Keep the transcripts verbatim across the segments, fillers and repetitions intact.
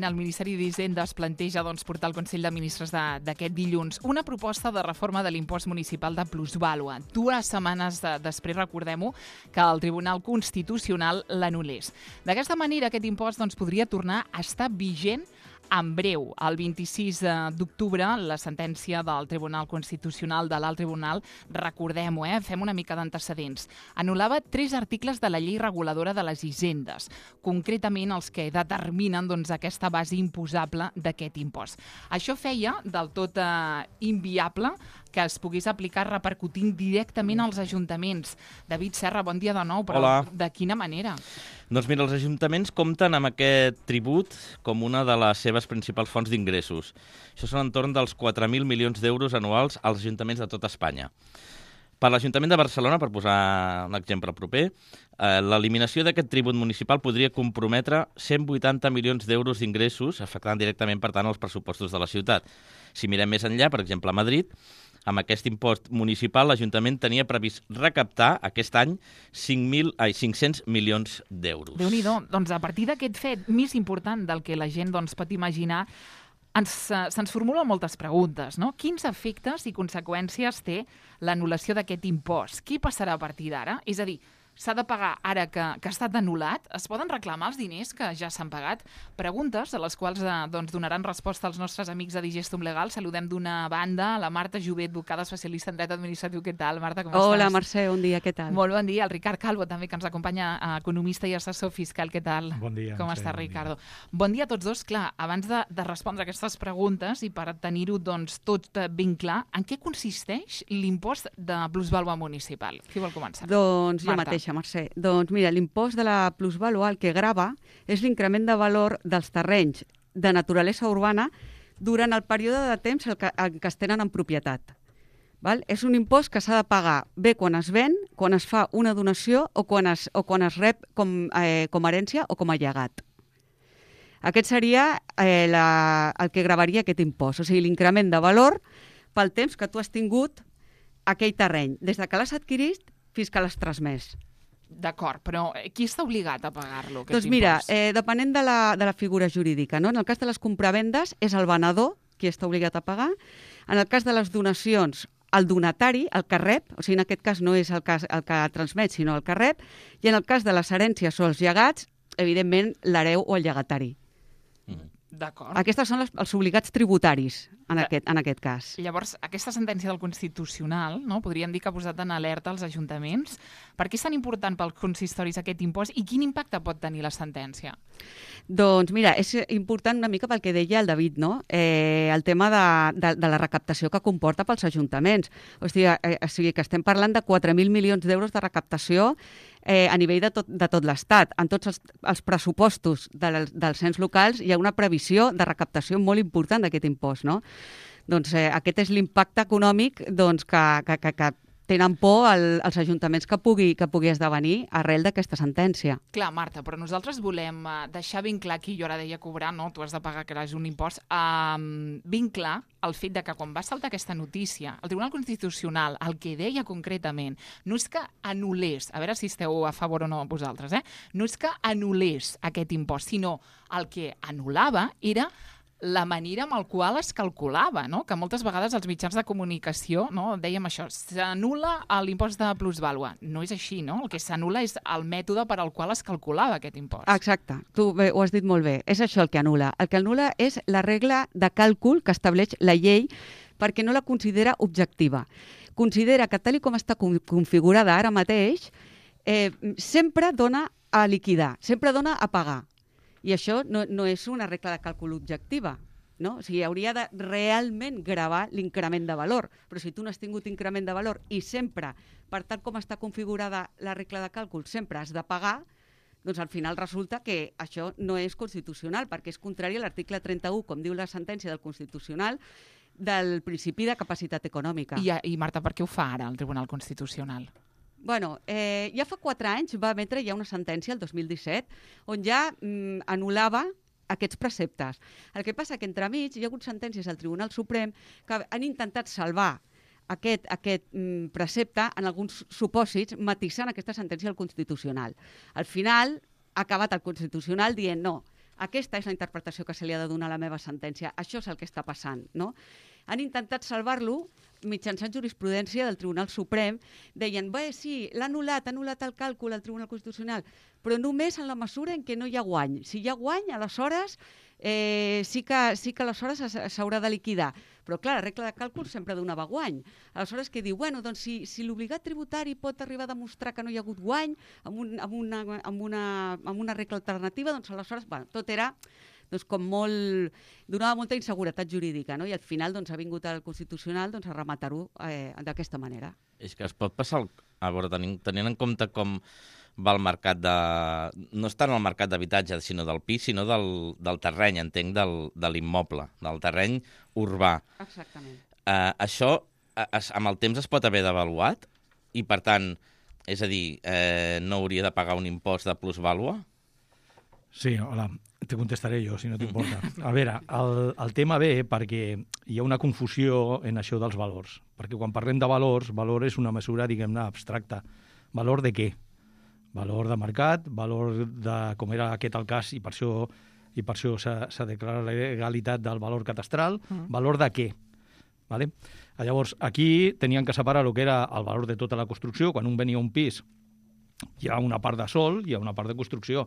el Ministeri d'Hisenda es planteja doncs, portar al Consell de Ministres d'aquest dilluns una proposta de reforma de l'impost municipal de plusvàlua. Dues setmanes de, després, recordem-ho, que el Tribunal Constitucional l'anul·lés. D'aquesta manera, aquest impost doncs, podria tornar a estar vigent en breu. El vint-i-sis d'octubre, la sentència del Tribunal Constitucional, de l'Alt Tribunal, recordem-ho, eh? Fem una mica d'antecedents, anul·lava tres articles de la llei reguladora de les hisendes, concretament els que determinen doncs, aquesta base imposable d'aquest impost. Això feia del tot eh, inviable que es pogués aplicar repercutint directament als ajuntaments. David Serra, bon dia de nou, però Hola. De quina manera? Doncs mira, els ajuntaments compten amb aquest tribut com una de les seves principals fonts d'ingressos. Això són entorn dels quatre mil milions d'euros anuals als ajuntaments de tota Espanya. Per l'Ajuntament de Barcelona, per posar un exemple proper, eh, l'eliminació d'aquest tribut municipal podria comprometre cent vuitanta milions d'euros d'ingressos, afectant directament, per tant, els pressupostos de la ciutat. Si mirem més enllà, per exemple, a Madrid, amb aquest impost municipal, l'Ajuntament tenia previst recaptar aquest any cinc mil, ai, cinc-cents milions d'euros. Déu-n'hi-do. Doncs a partir d'aquest fet més important del que la gent doncs, pot imaginar, ens, uh, se'ns formulen moltes preguntes, no? Quins efectes i conseqüències té l'anul·lació d'aquest impost? Què passarà a partir d'ara? És a dir, s'ha de pagar ara que, que ha estat anul·lat? Es poden reclamar els diners que ja s'han pagat? Preguntes a les quals eh, doncs, donaran resposta als nostres amics de Digestum Legal. Saludem d'una banda a la Marta Jové, advocada especialista en dret administratiu. Què tal, Marta? Com estàs? Hola, Mercè, bon dia, què tal? Molt bon dia. El Ricard Calvo, també, que ens acompanya, economista i assessor fiscal. Què tal? Bon dia. Com Mercè, està, bon Ricardo? dia. Bon dia a tots dos. Clar, abans de, de respondre aquestes preguntes i per tenir-ho doncs, tot ben clar, en què consisteix l'impost de plusvàlua municipal? Qui vol començar? Doncs jo Marta. mateixa, Mercè. Doncs mira, l'impost de la plusvàlua el que grava és l'increment de valor dels terrenys de naturalesa urbana durant el període de temps en què, en què es tenen en propietat. Val? És un impost que s'ha de pagar bé quan es ven, quan es fa una donació o quan es, o quan es rep com, eh, com a herència o com a llegat. Aquest seria eh, la, el que gravaria aquest impost, o sigui, l'increment de valor pel temps que tu has tingut aquell terreny, des de que l'has adquirit fins que l'has transmès. D'acord, però qui està obligat a pagar-lo, aquest Doncs mira, impost? eh, depenent de la, de la figura jurídica, no? En el cas de les compravendes és el venedor qui està obligat a pagar. En el cas de les donacions, el donatari, el que rep, o sigui, en aquest cas no és el, cas, el que transmet, sinó el que rep, i en el cas de les herències o els llegats, evidentment, l'hereu o el llegatari. Mm. D'acord. Aquests són els, els obligats tributaris, en, Ja. aquest, en aquest cas. Llavors, aquesta sentència del Constitucional, no, podríem dir que ha posat en alerta els ajuntaments. Per què és tan important pels consistoris aquest impost i quin impacte pot tenir la sentència? Doncs mira, és important una mica pel que deia el David, no? Eh, el tema de, de, de la recaptació que comporta pels ajuntaments. O sigui, eh, o sigui que estem parlant de quatre mil milions d'euros de recaptació eh, a nivell de tot, de tot l'Estat. En tots els, els pressupostos del, dels ens locals hi ha una previsió de recaptació molt important d'aquest impost, no? Doncs eh, aquest és l'impacte econòmic doncs, que, que, que, que tenen por el, els ajuntaments que pugui, que pugui esdevenir arrel d'aquesta sentència. Clar, Marta, però nosaltres volem uh, deixar ben clar qui jo ara deia cobrar, no? Tu has de pagar, que és un impost, um, ben clar el fet de que quan va saltar aquesta notícia, el Tribunal Constitucional el que deia concretament no és que anul·lés, a veure si esteu a favor o no vosaltres, eh? No és que anul·lés aquest impost, sinó el que anul·lava era la manera amb la qual es calculava, no? Que moltes vegades els mitjans de comunicació, no, dèiem això, s'anul·la l'impost de plusvàlua. No és així, no? El que s'anul·la és el mètode per al qual es calculava aquest impost. Exacte, tu bé, ho has dit molt bé, és això el que anul·la. El que anul·la és la regla de càlcul que estableix la llei perquè no la considera objectiva. Considera que tal com està configurada ara mateix, eh, sempre dona a liquidar, sempre dona a pagar. I això no, no és una regla de càlcul objectiva, no? O sigui, hauria de realment gravar l'increment de valor. Però si tu no has tingut increment de valor i sempre, per tal com està configurada la regla de càlcul, sempre has de pagar, doncs al final resulta que això no és constitucional, perquè és contrari a l'article trenta-u, com diu la sentència del Constitucional, del principi de capacitat econòmica. I, I Marta, per què ho fa ara el Tribunal Constitucional? Bueno, eh, ja fa quatre anys va emetre ja una sentència, el dos mil disset, on ja mm, anul·lava aquests preceptes. El que passa que entremig hi ha hagut sentències al Tribunal Suprem que han intentat salvar aquest, aquest mm, precepte en alguns supòsits, matisant aquesta sentència del Constitucional. Al final ha acabat el Constitucional dient no, Aquesta és la interpretació que se li ha de donar a la meva sentència. Això és el que està passant, no? Han intentat salvar-lo mitjançant jurisprudència del Tribunal Suprem. Deien, bé, sí, l'ha anul·lat, ha anul·lat el càlcul al Tribunal Constitucional, però només en la mesura en què no hi ha guany. Si hi ha guany, aleshores eh, sí que, sí que aleshores s'haurà de liquidar. Però, clar, la regla de càlcul sempre donava guany. Aleshores, què diu? Bueno, doncs, si, si l'obligat tributari pot arribar a demostrar que no hi ha hagut guany amb, un, amb, una, amb, una, amb una regla alternativa, doncs, aleshores, bueno, tot era doncs, com molt... donava molta inseguretat jurídica, no? I al final doncs, ha vingut al Constitucional doncs, a rematar-ho eh, d'aquesta manera. És que es pot passar... El... A veure, tenint, tenint en compte com va el mercat de... No és tant el mercat d'habitatge, sinó del pis, sinó del, del terreny, entenc, del, de l'immoble, del terreny urbà. Exactament. Uh, això, es, amb el temps es pot haver devaluat? I, per tant, és a dir, eh, no hauria de pagar un impost de plusvàlua? Sí, hola. Te contestaré jo, si no t'importa. A veure, el, el tema ve perquè hi ha una confusió en això dels valors. Perquè quan parlem de valors, valor és una mesura, diguem-ne, abstracta. Valor de què? Valor de mercat, valor de, com era aquest el cas, i per això, i per això s'ha declarat la legalitat del valor catastral, mm. valor de què? Vale? Llavors, aquí tenien que separar el que era el valor de tota la construcció. Quan un venia a un pis, hi ha una part de sòl, hi ha una part de construcció.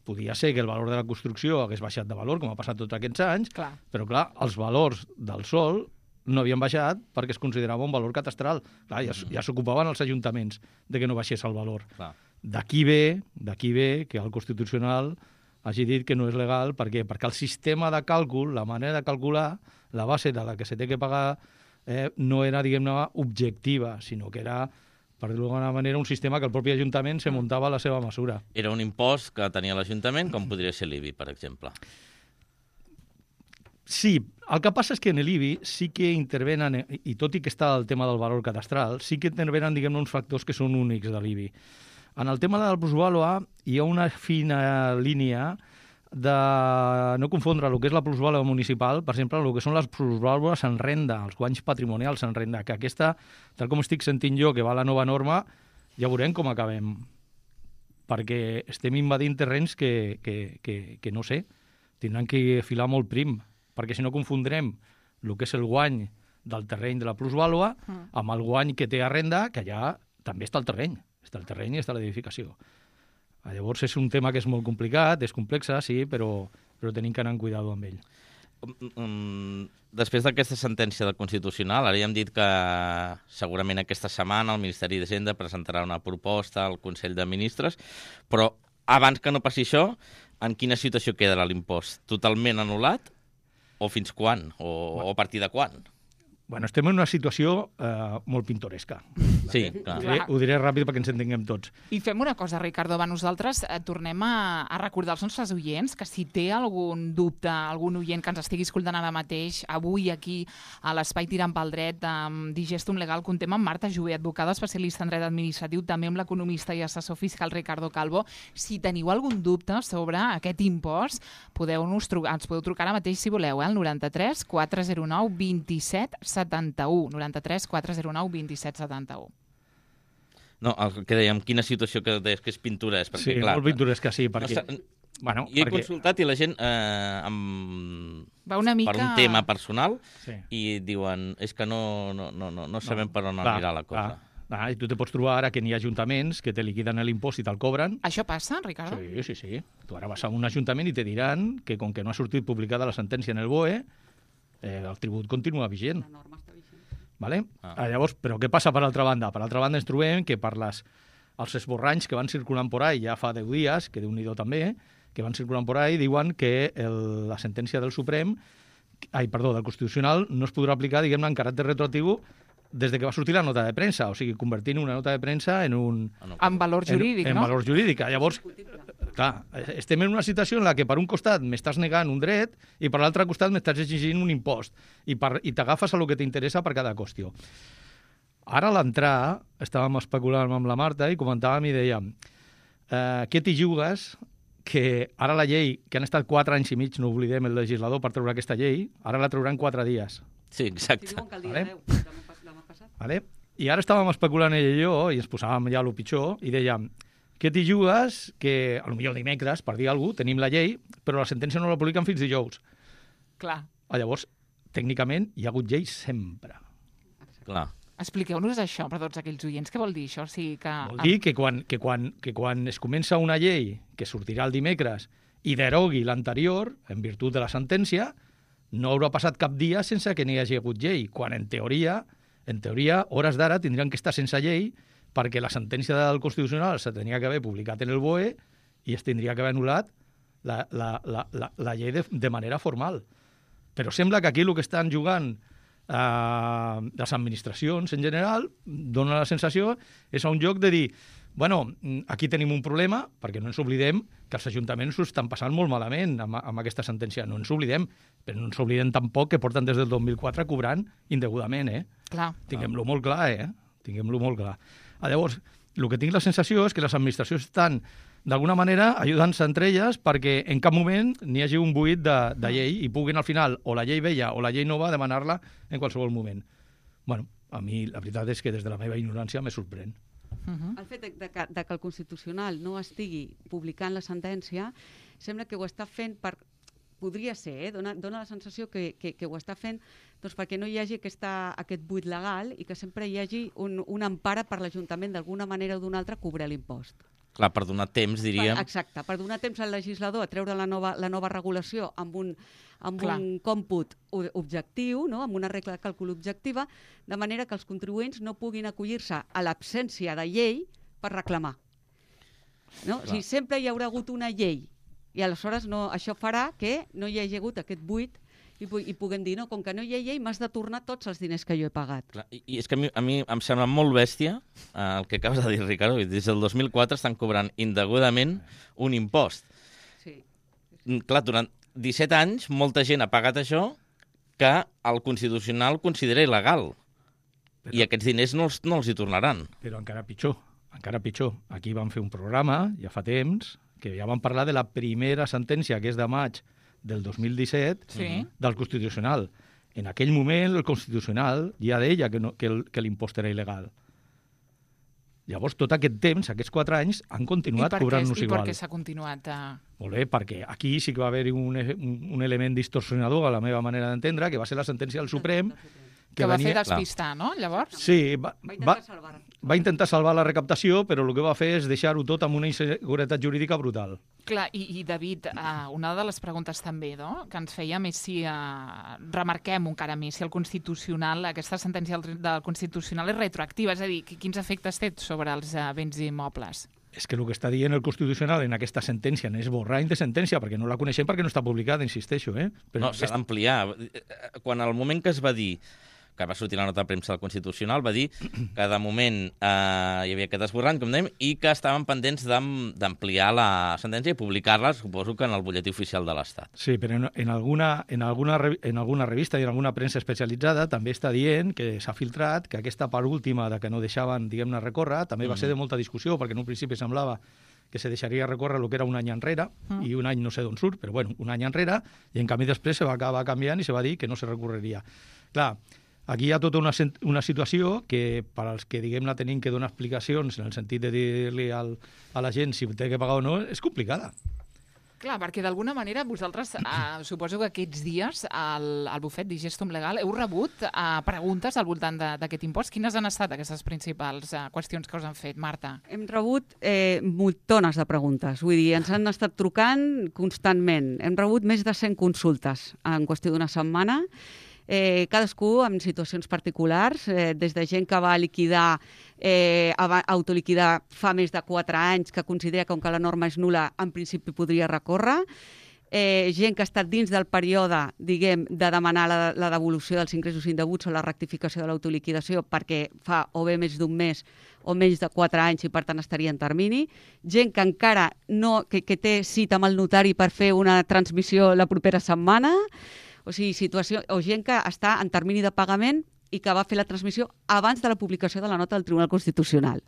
Podia ser que el valor de la construcció hagués baixat de valor, com ha passat tots aquests anys, clar. Però, clar, els valors del sòl no havien baixat perquè es considerava un valor catastral. Clar, ja, ja s'ocupaven els ajuntaments de que no baixés el valor. D'aquí ve, d'aquí ve que el Constitucional hagi dit que no és legal. Per què? Perquè el sistema de càlcul, la manera de calcular, la base de la que se té que pagar, eh, no era, diguem-ne, objectiva, sinó que era, per dir-ho d'alguna manera, un sistema que el propi Ajuntament se muntava a la seva mesura. Era un impost que tenia l'Ajuntament, com podria ser l'I B I, per exemple. Sí, el que passa és que en l'I B I sí que intervenen, i tot i que està el tema del valor catastral, sí que intervenen, diguem-ne, uns factors que són únics de l'I B I. En el tema del plusvàlua hi ha una fina línia de no confondre el que és la plusvàlua municipal, per exemple, el que són les plusvàlues en renda, els guanys patrimonials en renda, que aquesta, tal com estic sentint jo, que va la nova norma, ja veurem com acabem. Perquè estem invadint terrenys que, que, que, que no sé, tindran que filar molt prim, perquè si no confondrem el que és el guany del terreny de la plusvàlua amb el guany que té a renda, que allà també està el terreny, està el terreny i està l'edificació. Llavors és un tema que és molt complicat, és complexa, sí, però, però tenim que anar amb cuidado amb ell. Um, després d'aquesta sentència del Constitucional, ara ja hem dit que segurament aquesta setmana el Ministeri d'Hisenda presentarà una proposta al Consell de Ministres, però abans que no passi això, en quina situació quedarà l'impost? Totalment anul·lat? O fins quan? O, o a partir de quan? Bueno, estem en una situació eh, molt pintoresca. Sí, clar. Ho diré, ho diré ràpid perquè ens entenguem tots. I fem una cosa, Ricardo, va, nosaltres eh, tornem a, a recordar als nostres oients que si té algun dubte, algun oient que ens estigui escoltant ara mateix, avui aquí a l'Espai Tirant pel Dret, amb Digestum Legal, contem amb Marta Jové, advocada especialista en dret administratiu, també amb l'economista i assessor fiscal Ricardo Calvo. Si teniu algun dubte sobre aquest impost, podeu-nos trucar, ens podeu trucar ara mateix si voleu, eh, al noranta-tres quatre zero nou vint set setanta-u, noranta-tres quatre zero nou vint set setanta-u. No, el que dèiem, quina situació que deies que és pintoresca. Sí, clar, molt pintoresca, sí, perquè... No, bueno, jo he perquè... consultat i la gent eh, amb... Va una mica... per un tema personal sí. I diuen, és que no, no, no, no, no sabem no, per on clar, anirà la cosa. Clar. Ah, i tu te pots trobar ara que n'hi ha ajuntaments que te liquiden l'impost i te'l cobren. Això passa, Ricardo? Sí, sí, sí. Tu ara vas a un ajuntament i te diran que com que no ha sortit publicada la sentència en el B O E, eh, el tribut continua vigent. La norma està vigent. Vale? Ah. Llavors, però què passa per altra banda? Per altra banda ens trobem que per les, els esborranys que van circulant por ahí ja fa deu dies, que Déu-n'hi-do també, que van circulant por ahí, diuen que el, la sentència del Suprem, ai, perdó, del Constitucional, no es podrà aplicar, diguem-ne, en caràcter retroactiu des de que va sortir la nota de premsa, o sigui, convertint una nota de premsa en un... En valor jurídic, en, no? En valor jurídic. Llavors, clar, estem en una situació en la que per un costat m'estàs negant un dret i per l'altre costat m'estàs exigint un impost i, per, i t'agafes a lo que t'interessa per cada qüestió. Ara a l'entrar, estàvem especulant amb la Marta i comentàvem i dèiem eh, què t'hi jugues que ara la llei, que han estat quatre anys i mig, no oblidem el legislador per treure aquesta llei, ara la trauran quatre dies. Sí, exacte. Si diuen que el dia vale? deu, demà passat. Vale? I ara estàvem especulant ell i jo, i ens posàvem ja a lo pitjor, i dèiem, Què t'hi jugues? Que, a lo millor dimecres, per dir alguna cosa, tenim la llei, però la sentència no la publiquen fins dijous. Clar. Ah, llavors, tècnicament, hi ha hagut llei sempre. Clar. Expliqueu-nos això per tots aquells oients. Què vol dir això? O sigui que... Vol dir que quan, que, quan, que quan es comença una llei que sortirà el dimecres i derogui l'anterior, en virtut de la sentència, no haurà passat cap dia sense que n'hi hagi hagut llei, quan en teoria, en teoria, hores d'ara tindrien que estar sense llei perquè la sentència del Constitucional se tenia que haver publicat en el B O E i es tindria que haver anul·lat la, la, la, la, la llei de, de manera formal. Però sembla que aquí el que estan jugant eh, les administracions en general dona la sensació és a un joc de dir bueno, aquí tenim un problema, perquè no ens oblidem que els ajuntaments ho estan passant molt malament amb, amb aquesta sentència. No ens oblidem, però no ens oblidem tampoc que porten des del dos mil quatre cobrant indegudament, eh? Clar. Tinguem-lo molt clar, eh? Tinguem-lo molt clar. Ah, llavors, el que tinc la sensació és que les administracions estan, d'alguna manera, ajudant-se entre elles perquè en cap moment n'hi hagi un buit de, de llei i puguin al final, o la llei vella o la llei nova, demanar-la en qualsevol moment. Bueno, a mi la veritat és que des de la meva ignorància me sorprèn. Uh -huh. El fet de, de, que, de que el Constitucional no estigui publicant la sentència sembla que ho està fent per... Podria ser, eh? Dona, dona la sensació que, que, que ho està fent doncs, perquè no hi hagi aquesta, aquest buit legal i que sempre hi hagi un, una empara per l'Ajuntament d'alguna manera o d'una altra cobrar l'impost. Clar, per donar temps, diríem... Per, exacte, per donar temps al legislador a treure la nova, la nova regulació amb un, amb Clar. un còmput objectiu, no? Amb una regla de càlcul objectiva, de manera que els contribuents no puguin acollir-se a l'absència de llei per reclamar. No? O sigui, sempre hi haurà hagut una llei i aleshores no, això farà que no hi hagi hagut aquest buit i, pu i puguem dir, no, com que no hi ha llei, m'has de tornar tots els diners que jo he pagat. Clar, i, I és que a mi, a mi em sembla molt bèstia eh, el que acabes de dir, Ricardo. Des del dos mil quatre estan cobrant indegudament un impost. Sí. Clar, durant disset anys molta gent ha pagat això que el Constitucional considera il·legal. Però, I aquests diners no els, no els hi tornaran. Però encara pitjor, encara pitjor. Aquí vam fer un programa, ja fa temps, que ja vam parlar de la primera sentència, que és de maig del dos mil disset, Sí. del Constitucional. En aquell moment, el Constitucional ja deia que, no, que, el, que l'impost era il·legal. Llavors, tot aquest temps, aquests quatre anys, han continuat cobrant-nos igual. I per què s'ha continuat? A... Molt bé, perquè aquí sí que va haver-hi un, un, un element distorsionador, a la meva manera d'entendre, que va ser la sentència del Suprem, Que, que va venia... fer despistar, no, llavors? Sí, va, Va va, intentar salvar. va intentar salvar la recaptació, però el que va fer és deixar-ho tot amb una inseguretat jurídica brutal. Clar, i, i David, uh, una de les preguntes també no? que ens fèiem és si uh, remarquem encara més si el Constitucional, aquesta sentència del, del Constitucional és retroactiva, és a dir, quins efectes té sobre els uh, béns immobles? És que el que està dient el Constitucional en aquesta sentència no és borrany de sentència, perquè no la coneixem perquè no està publicada, insisteixo. Eh? Però no, s'ha d'ampliar. Quan al moment que es va dir que va sortir la nota de premsa del Constitucional, va dir que de moment eh, hi havia aquest esborrany, com dèiem, i que estaven pendents d'ampliar la sentència i publicar-la, suposo que en el butlletí oficial de l'Estat. Sí, però en, en, alguna, en, alguna, en alguna revista i en alguna premsa especialitzada també està dient que s'ha filtrat que aquesta part última de que no deixaven, diguem-ne, recórrer, també va ser de molta discussió, perquè en un principi semblava que se deixaria recórrer el que era un any enrere, mm. i un any no sé d'on surt, però bueno, un any enrere, i en canvi després se va acabar canviant i se va dir que no se recorreria. Clar, aquí hi ha tota una, una situació que, per als que, diguem-ne, tenim que donar explicacions en el sentit de dir-li al, a la gent si té que pagar o no, és complicada. Clar, perquè d'alguna manera vosaltres, eh, suposo que aquests dies al, al bufet d'Igestum Legal heu rebut eh, preguntes al voltant d'aquest impost. Quines han estat aquestes principals eh, qüestions que us han fet, Marta? Hem rebut eh, multones de preguntes, vull dir, ens han estat trucant constantment. Hem rebut més de cent consultes en qüestió d'una setmana, Eh, cadascú amb situacions particulars, eh, des de gent que va liquidar, eh, autoliquidar fa més de quatre anys, que considera que com que la norma és nul·la, en principi podria recórrer, eh, gent que ha estat dins del període, diguem, de demanar la, la devolució dels ingressos indeguts o la rectificació de l'autoliquidació perquè fa o bé més d'un mes o menys de quatre anys i per tant estaria en termini, gent que encara no, que, que té cita amb el notari per fer una transmissió la propera setmana, o sigui, situació, o gent que està en termini de pagament i que va fer la transmissió abans de la publicació de la nota del Tribunal Constitucional.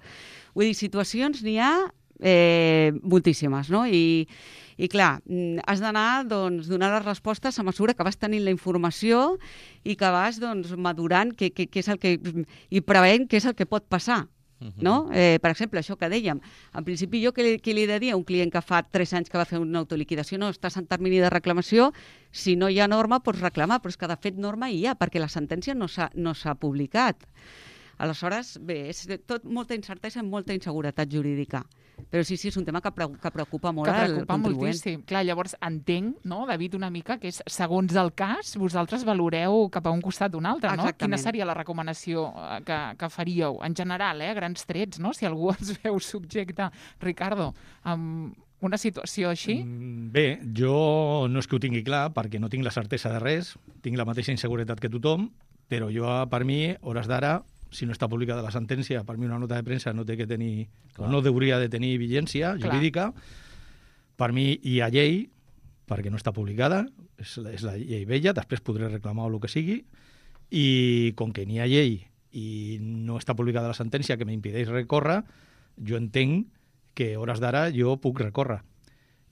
Vull dir, situacions n'hi ha eh, moltíssimes, no? I, i clar, has d'anar doncs, donant les respostes a mesura que vas tenint la informació i que vas doncs, madurant què, què, què és el que, i preveient què és el que pot passar. no? Eh, per exemple, això que dèiem, en principi jo què li, què li he de dir a un client que fa tres anys que va fer una autoliquidació? No, estàs en termini de reclamació, si no hi ha norma pots reclamar, però és que de fet norma hi ha, perquè la sentència no s'ha no s'ha publicat. Aleshores, bé, és tot molta incertesa i molta inseguretat jurídica. Però sí, sí, és un tema que, pre que preocupa molt que al preocupa contribuent. moltíssim. Clar, llavors entenc, no, David, una mica que és, segons el cas, vosaltres valoreu cap a un costat o un altre, no? Exactament. Quina seria la recomanació eh, que, que faríeu? En general, eh, grans trets, no? Si algú es veu subjecte, Ricardo, amb una situació així? Mm, Bé, jo no és que ho tingui clar, perquè no tinc la certesa de res, tinc la mateixa inseguretat que tothom, però jo, per mi, hores d'ara, si no està publicada la sentència, per mi una nota de premsa no té que tenir, o no hauria de tenir vigència jurídica. Per mi hi ha llei, perquè no està publicada, és, és la llei vella, després podré reclamar el que sigui, i com que n'hi ha llei i no està publicada la sentència que m'impedeix recórrer, jo entenc que hores d'ara jo puc recórrer,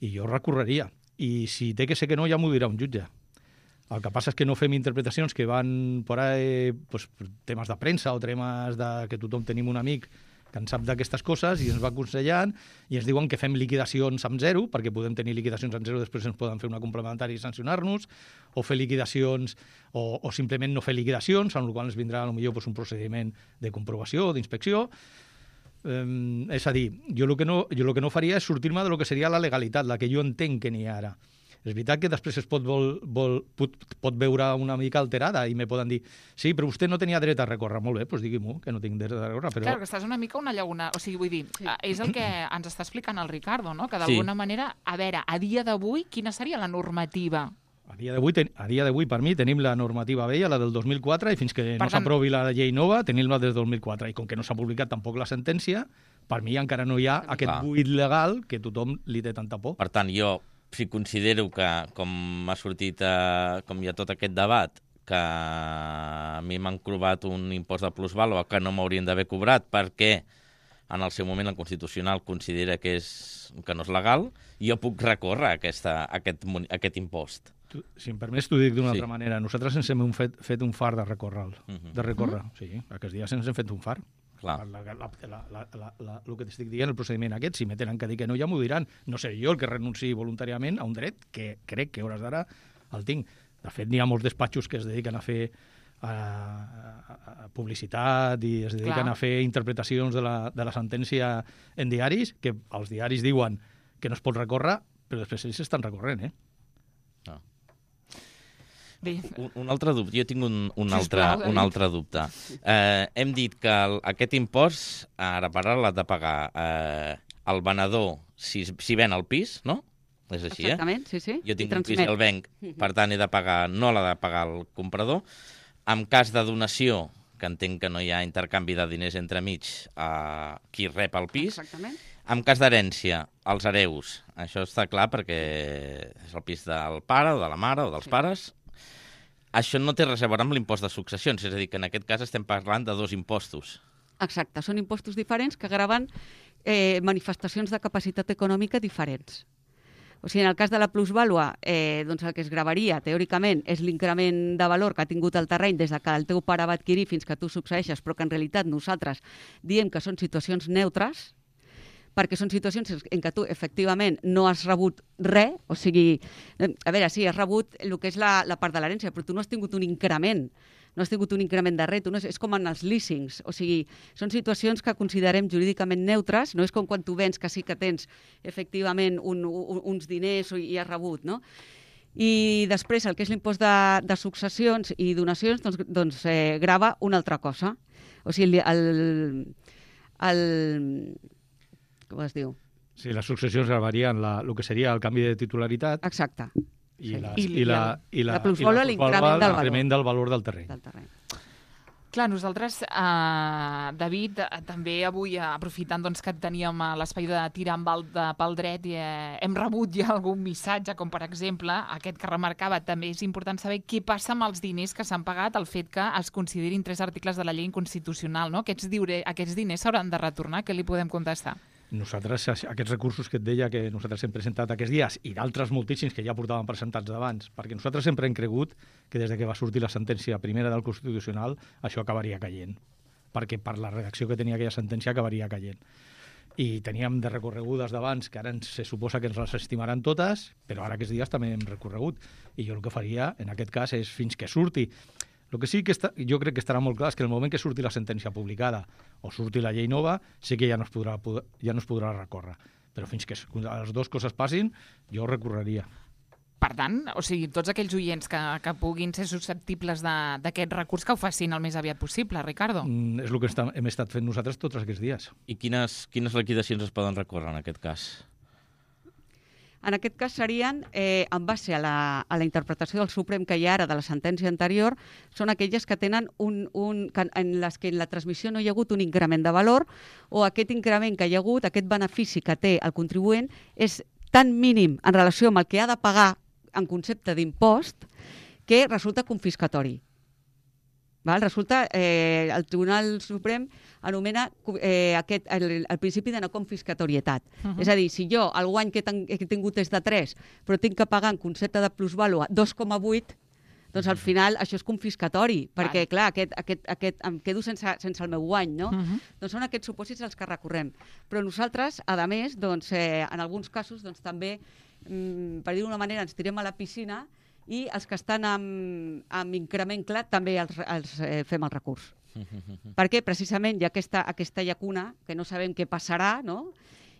i jo recorreria. I si té que ser que no, ja m'ho dirà un jutge. El que passa és que no fem interpretacions que van per ahí, pues, temes de premsa o temes de que tothom tenim un amic que en sap d'aquestes coses i ens va aconsellant i ens diuen que fem liquidacions amb zero, perquè podem tenir liquidacions amb zero, després ens poden fer una complementària i sancionar-nos, o fer liquidacions, o, o simplement no fer liquidacions, amb la qual ens vindrà potser pues, un procediment de comprovació o d'inspecció. Um, és a dir, jo el que no, jo el que no faria és sortir-me de lo que seria la legalitat, la que jo entenc que n'hi ha ara. És veritat que després es pot, vol, vol, pot, pot veure una mica alterada i me poden dir, sí, però vostè no tenia dret a recórrer. Molt bé, doncs digui-m'ho, que no tinc dret a recórrer. Però... Clar, que estàs una mica una llaguna... O sigui, vull dir, sí. És el que ens està explicant el Ricardo, no? Que d'alguna sí. manera, a veure, a dia d'avui, quina seria la normativa? A dia d'avui, a dia d'avui per mi, tenim la normativa vella, la del dos mil quatre, i fins que per no tant... s'aprovi la llei nova, tenim-la des del dos mil quatre. I com que no s'ha publicat tampoc la sentència, per mi encara no hi ha aquest Clar. buit legal que tothom li té tanta por. Per tant, jo... si considero que, com ha sortit, eh, com hi ha tot aquest debat, que a mi m'han cobrat un impost de plusvàlua que no m'haurien d'haver cobrat perquè en el seu moment el Constitucional considera que, és, que no és legal, jo puc recórrer aquesta, aquest, aquest impost. Tu, si em permets, t'ho dic d'una sí. altra manera. Nosaltres ens hem fet, fet un far de recórrer. Uh -huh. De recórrer, uh -huh. sí. Aquests dies ens hem fet un far. La, la, la, la, la, la, la, el que t'estic dient, el procediment aquest, si me tenen que dir que no, ja m'ho diran. No seré jo el que renunciï voluntàriament a un dret que crec que hores d'ara el tinc. De fet, n'hi ha molts despatxos que es dediquen a fer a, a, a publicitat i es dediquen Clar. a fer interpretacions de la, de la sentència en diaris, que els diaris diuen que no es pot recórrer, però després ells estan recorrent, eh? No. Un, un altre dubte. Jo tinc un, un, altre, un altre dubte. Eh, hem dit que el, aquest impost, ara per ara, l'ha de pagar eh, el venedor si, si ven el pis, no? És així, Exactament, eh? sí, sí. Jo tinc un pis i el venc, per tant, he de pagar, no l'ha de pagar el comprador. En cas de donació, que entenc que no hi ha intercanvi de diners entremig a qui rep el pis. Exactament. En cas d'herència, els hereus. Això està clar perquè és el pis del pare o de la mare o dels sí. pares. Això no té res a veure amb l'impost de successions, és a dir, que en aquest cas estem parlant de dos impostos. Exacte, són impostos diferents que graven eh, manifestacions de capacitat econòmica diferents. O sigui, en el cas de la plusvàlua, eh, doncs el que es gravaria, teòricament, és l'increment de valor que ha tingut el terreny des que el teu pare va adquirir fins que tu succeeixes, però que en realitat nosaltres diem que són situacions neutres, perquè són situacions en què tu, efectivament, no has rebut res, o sigui, a veure, sí, has rebut el que és la, la part de l'herència, però tu no has tingut un increment, no has tingut un increment de res, tu no és, és com en els leasings, o sigui, són situacions que considerem jurídicament neutres, no és com quan tu vens que sí que tens, efectivament, un, un, uns diners i has rebut, no? I després, el que és l'impost de, de successions i donacions, doncs, doncs eh, grava una altra cosa. O sigui, el... el com es diu? Sí, les successions gravarien la, el que seria el canvi de titularitat. Exacte. I, sí. la, I, i, la, i la, la plusvàlua, l'increment del, del valor del terreny. Del terreny. Clar, nosaltres, eh, David, eh, també avui, eh, aprofitant doncs, que teníem eh, l'espai de tirar amb el de, pel dret, i, eh, hem rebut ja algun missatge, com per exemple, aquest que remarcava, també és important saber què passa amb els diners que s'han pagat, el fet que es considerin tres articles de la llei inconstitucional, no? Aquests, diure, aquests diners s'hauran de retornar, què li podem contestar? Nosaltres, aquests recursos que et deia que nosaltres hem presentat aquests dies i d'altres moltíssims que ja portàvem presentats d'abans, perquè nosaltres sempre hem cregut que des de que va sortir la sentència primera del Constitucional això acabaria caient. perquè per la redacció que tenia aquella sentència acabaria caient. I teníem de recorregudes d'abans, que ara ens, se suposa que ens les estimaran totes, però ara aquests dies també hem recorregut. I jo el que faria, en aquest cas, és fins que surti. El que sí que està, jo crec que estarà molt clar és que en el moment que surti la sentència publicada o surti la llei nova, sí que ja no es podrà, ja no es podrà recórrer. Però fins que les dues coses passin, jo recorreria. Per tant, o sigui, tots aquells oients que, que puguin ser susceptibles d'aquest recurs, que ho facin el més aviat possible, Ricardo. Mm, és el que està, hem estat fent nosaltres tots aquests dies. I quines, quines liquidacions es poden recórrer en aquest cas? En aquest cas serien, eh, en base a la, a la interpretació del Suprem que hi ha ara de la sentència anterior, són aquelles que tenen un, un, que en les que en la transmissió no hi ha hagut un increment de valor o aquest increment que hi ha hagut, aquest benefici que té el contribuent, és tan mínim en relació amb el que ha de pagar en concepte d'impost, que resulta confiscatori. Val? Resulta, eh, el Tribunal Suprem anomena eh, aquest, el, el principi de no confiscatorietat. Uh-huh. És a dir, si jo el guany que, ten, que he tingut és de tres, però tinc que pagar en concepte de plusvàlua dos coma vuit, doncs al final això és confiscatori, perquè, clar, aquest, aquest, aquest, em quedo sense, sense el meu guany, no? Uh-huh. Doncs són aquests supòsits els que recorrem. Però nosaltres, a més, doncs, eh, en alguns casos, doncs, també, mm, per dir d'una manera, ens tirem a la piscina i els que estan amb, amb increment clar també els, els eh, fem el recurs. Uh-huh. Perquè precisament hi ha aquesta, aquesta llacuna que no sabem què passarà, no?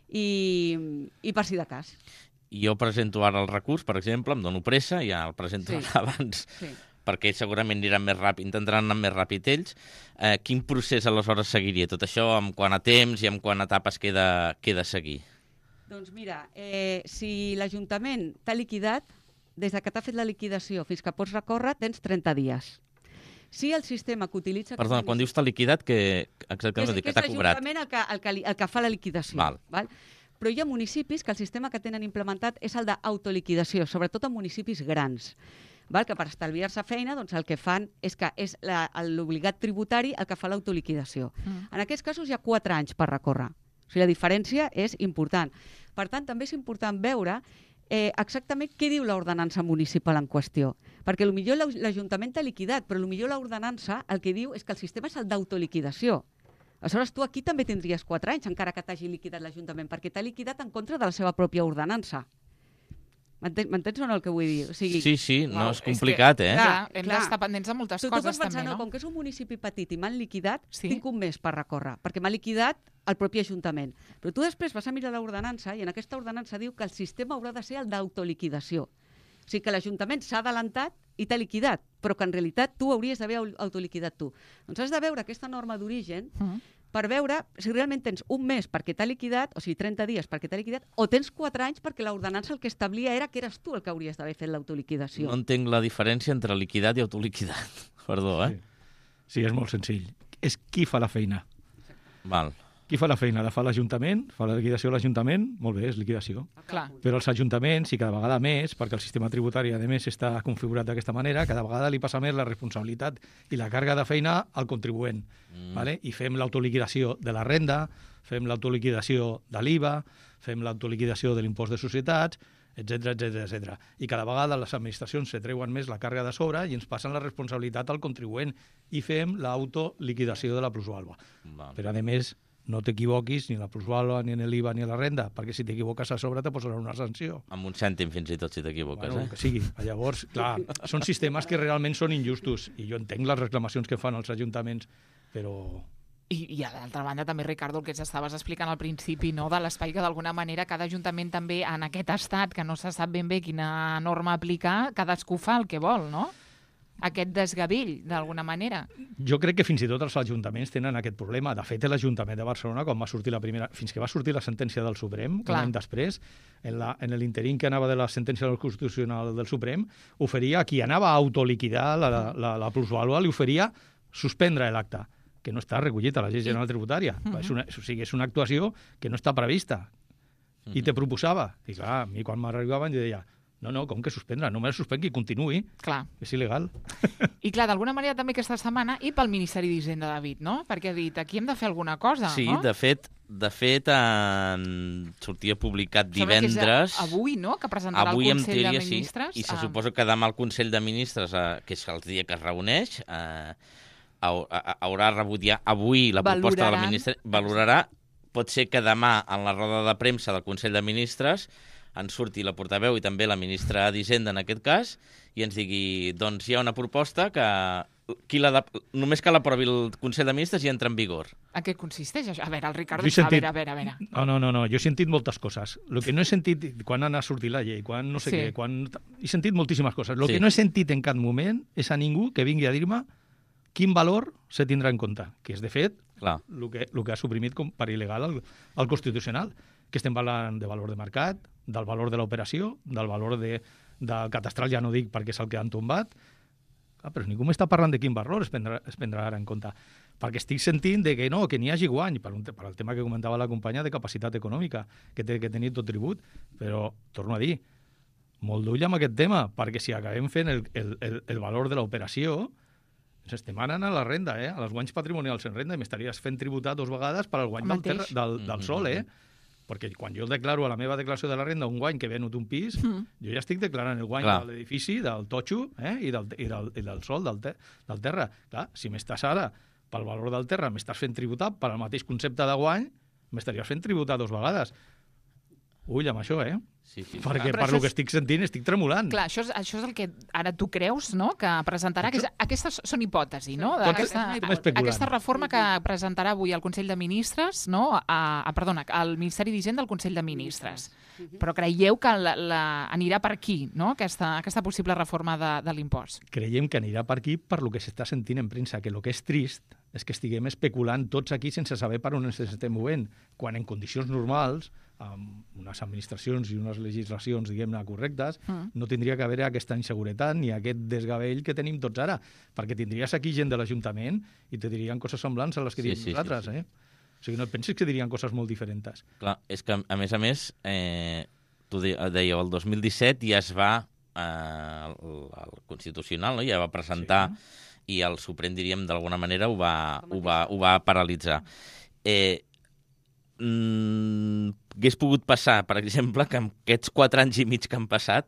I, i per si de cas. Jo presento ara el recurs, per exemple, em dono pressa, ja el presento sí. abans, sí. perquè segurament aniran més ràpid, intentaran anar més ràpid ells. Eh, quin procés aleshores seguiria? Tot això amb quant a temps i amb quant a etapes queda, queda seguir? Doncs mira, eh, si l'Ajuntament t'ha liquidat, des que t'ha fet la liquidació fins que pots recórrer, tens trenta dies. Si el sistema que utilitza... Perdona, quan dius t'ha liquidat, que exactament que és, que t'ha cobrat? Que és l'Ajuntament el, que, el, que, el que fa la liquidació. Val. Val? Però hi ha municipis que el sistema que tenen implementat és el d'autoliquidació, sobretot en municipis grans, val? Que per estalviar-se feina doncs el que fan és que és l'obligat tributari el que fa l'autoliquidació. Mm. En aquests casos hi ha quatre anys per recórrer. O sigui, la diferència és important. Per tant, també és important veure eh, exactament què diu l'ordenança municipal en qüestió. Perquè potser l'Ajuntament t'ha liquidat, però potser l'ordenança el que diu és que el sistema és el d'autoliquidació. Aleshores, tu aquí també tindries quatre anys, encara que t'hagi liquidat l'Ajuntament, perquè t'ha liquidat en contra de la seva pròpia ordenança. M'entens o no el que vull dir? O sigui, sí, sí, no, és complicat, és que, eh? Clar, hem d'estar pendents de moltes tu, coses, tu pots pensar, també, no? no? Com que és un municipi petit i m'han liquidat, sí? tinc un mes per recórrer, perquè m'ha liquidat el propi Ajuntament. Però tu després vas a mirar l'ordenança i en aquesta ordenança diu que el sistema haurà de ser el d'autoliquidació. O sigui que l'Ajuntament s'ha adelantat i t'ha liquidat, però que en realitat tu hauries d'haver autoliquidat tu. Doncs has de veure aquesta norma d'origen uh-huh. per veure si realment tens un mes perquè t'ha liquidat, o sigui, trenta dies perquè t'ha liquidat, o tens quatre anys perquè l'ordenança el que establia era que eres tu el que hauries d'haver fet l'autoliquidació. No entenc la diferència entre liquidat i autoliquidat. Perdó, eh? Sí. sí, és molt senzill. És qui fa la feina. Val. Qui fa la feina? La fa l'Ajuntament? Fa la liquidació a l'Ajuntament? Molt bé, és liquidació. Clar. Però els ajuntaments, i cada vegada més, perquè el sistema tributari, a més, està configurat d'aquesta manera, cada vegada li passa més la responsabilitat i la càrrega de feina al contribuent. Mm. Vale? I fem l'autoliquidació de la renda, fem l'autoliquidació de l'I V A, fem l'autoliquidació de l'impost de societats, etcètera, etcètera, etcètera. I cada vegada les administracions se treuen més la càrrega de sobre i ens passen la responsabilitat al contribuent i fem l'autoliquidació de la plusvàlua. Vale. Però, a més, no t'equivoquis ni en la plusvàlua, ni en l'I V A, ni en la renda, perquè si t'equivoques a sobre te posaran una sanció. Amb un cèntim fins i tot si t'equivoques, bueno, eh? Que sigui. Llavors, clar, són sistemes que realment són injustos i jo entenc les reclamacions que fan els ajuntaments, però... I, i a l'altra banda també, Ricardo, el que estaves explicant al principi, no? De l'espai que d'alguna manera cada ajuntament també en aquest estat que no se sap ben bé quina norma aplicar, cadascú fa el que vol, no? Aquest desgavell, d'alguna manera. Jo crec que fins i tot els ajuntaments tenen aquest problema. De fet, l'Ajuntament de Barcelona, quan va sortir la primera, fins que va sortir la sentència del Suprem, Clar. un any després, en, la, en l'interín que anava de la sentència del Constitucional del Suprem, oferia a qui anava a autoliquidar la, la, la, la plusvàlua, li oferia suspendre l'acte, que no està recollit a la llei general tributària. Uh-huh. És una, o sigui, és una actuació que no està prevista. Uh-huh. I te proposava. I clar, a mi quan m'arribaven jo deia no, no, com que suspendre? No me la suspengui, continuï. Clar. És il·legal. I clar, d'alguna manera també aquesta setmana i pel Ministeri d'Hisenda, David, no? Perquè ha dit, aquí hem de fer alguna cosa, sí, no? Sí, de fet, de fet en... sortia publicat divendres... Avui, no?, que presentarà avui, el Consell teoria, de Ministres. Sí. I se ah. suposa que demà el Consell de Ministres, eh, que és el dia que es reuneix, eh, haurà rebut ja avui la proposta de la ministra, valorarà. Pot ser que demà, en la roda de premsa del Consell de Ministres, en surti la portaveu i també la ministra d'Hisenda, en aquest cas, i ens digui, doncs hi ha una proposta que qui la de... només que l'aprovi el Consell de Ministres i entra en vigor. A què consisteix això? A veure, el Ricardo... Sentit... A veure, a veure, a veure. No, no, no, no, jo he sentit moltes coses. El que no he sentit, quan ha sortit la llei, quan no sé sí. què, quan... He sentit moltíssimes coses. El sí. que no he sentit en cap moment és a ningú que vingui a dir-me quin valor se tindrà en compte, que és, de fet, el que, el que ha suprimit com per il·legal el, el Constitucional, que estem parlant de valor de mercat, del valor de l'operació, del valor de, del catastral, ja no dic perquè és el que han tombat, ah, però ningú m'està parlant de quin valor es prendrà, es prendrà ara en compte. Perquè estic sentint de que no, que n'hi hagi guany, per, un, per el tema que comentava la companya de capacitat econòmica, que té que tenir tot tribut, però, torno a dir, molt d'ull amb aquest tema, perquè si acabem fent el, el, el, el valor de l'operació, ens estem anant a la renda, eh? A les guanys patrimonials en renda, i m'estaries fent tributar dos vegades per al guany del, terra, del, del sol, eh? Perquè quan jo declaro a la meva declaració de la renda un guany que he venut un pis, mm. jo ja estic declarant el guany Clar. de l'edifici, del totxo, eh? I, del, i, del, i del sol, del, te, del terra. Clar, si m'estàs ara, pel valor del terra, m'estàs fent tributar per al mateix concepte de guany, m'estaries fent tributar dos vegades. Ull amb això, eh? Sí, sí. Perquè per el que estic sentint estic tremolant. Clar, això és, això és el que ara tu creus, no?, que presentarà. Això... Aquestes són hipòtesis, no? Aquesta, aquesta reforma que presentarà avui el Consell de Ministres, no?, a, a, perdona, al Ministeri d'Hisenda del Consell de Ministres. Però creieu que la, la, anirà per aquí, no?, aquesta, aquesta possible reforma de, de l'impost? Creiem que anirà per aquí per lo que s'està sentint en premsa, que el que és trist és que estiguem especulant tots aquí sense saber per on ens estem movent, quan en condicions normals, amb unes administracions i unes legislacions, diguem-ne, correctes, mm. no tindria que haver aquesta inseguretat ni aquest desgavell que tenim tots ara, perquè tindries aquí gent de l'Ajuntament i te dirien coses semblants a les que sí, diem sí, nosaltres, sí, sí. eh? O sigui, no et pensis que dirien coses molt diferents. Clar, és que, a més a més, eh, tu dèieu, el dos mil disset ja es va, eh, el, el Constitucional, no? Ja va presentar, sí. i el Suprem, diríem, d'alguna manera ho va, ho va, ho va paralitzar. Eh, mm, hagués pogut passar, per exemple, que en aquests quatre anys i mig que han passat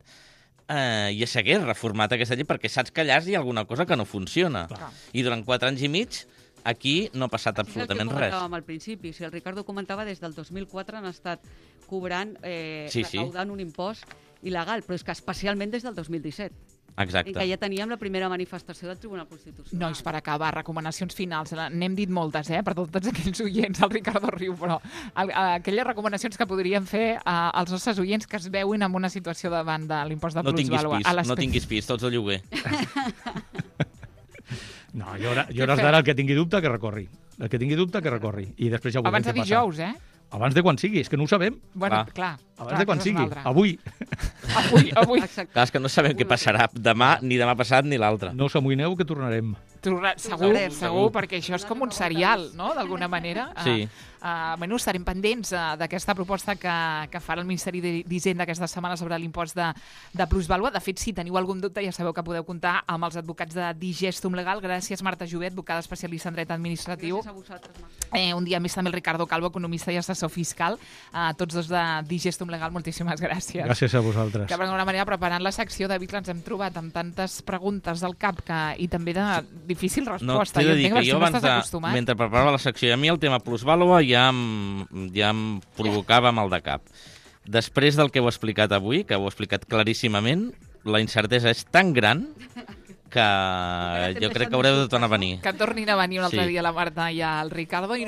eh, ja s'hagués reformat aquesta llei, perquè saps que allà hi ha alguna cosa que no funciona. Clar. I durant quatre anys i mig aquí no ha passat absolutament res. És el que comentàvem al principi. Si el Ricardo comentava, des del dos mil quatre han estat cobrant, eh, sí, sí. recaudant un impost il·legal, però és que especialment des del dos mil disset. Exacte. I que ja teníem la primera manifestació del Tribunal Constitucional. Nois, per acabar, recomanacions finals. N'hem dit moltes, eh, per tots aquells oients, el Ricardo riu, però aquelles recomanacions que podríem fer als nostres oients que es veuen en una situació davant de l'impost de no plusvàlua. Pis, no tinguis pis, tots al lloguer. No, jo, jo hores d'ara el que tingui dubte que recorri. El que tingui dubte que recorri. I després ja ho Abans de dijous, eh? Abans de quan sigui, és que no ho sabem. Bueno, ah. clar. Abans clar, de quan sigui, avui. Avui, avui. Clar, és que no sabem què passarà demà, ni demà passat, ni l'altre. No us amoïneu que tornarem. Tornar, segur, segur, segur, perquè això és com un serial, no?, d'alguna manera. Sí. Uh, uh, bueno, estarem pendents uh, d'aquesta proposta que, que farà el Ministeri d'Hisenda aquesta setmana sobre l'impost de, de plusvàlua. De fet, si teniu algun dubte, ja sabeu que podeu comptar amb els advocats de Digestum Legal. Gràcies, Marta Jovet, advocada especialista en dret administratiu. Gràcies a vosaltres, Marta. Eh, un dia més també el Ricardo Calvo, economista i assessor fiscal. Uh, tots dos de Digestum Legal, moltíssimes gràcies. Gràcies a vosaltres. Que d'alguna manera, preparant la secció de Vic, ens hem trobat amb tantes preguntes al cap que, i també de difícil resposta. No, t'he de dir que jo abans de, mentre preparava la secció, a mi el tema plusvàlua ja em, ja em provocava mal de cap. Després del que heu explicat avui, que heu explicat claríssimament, la incertesa és tan gran que jo crec que haureu de tornar a venir. Que tornin a venir un altre sí. dia la Marta i el Ricardo.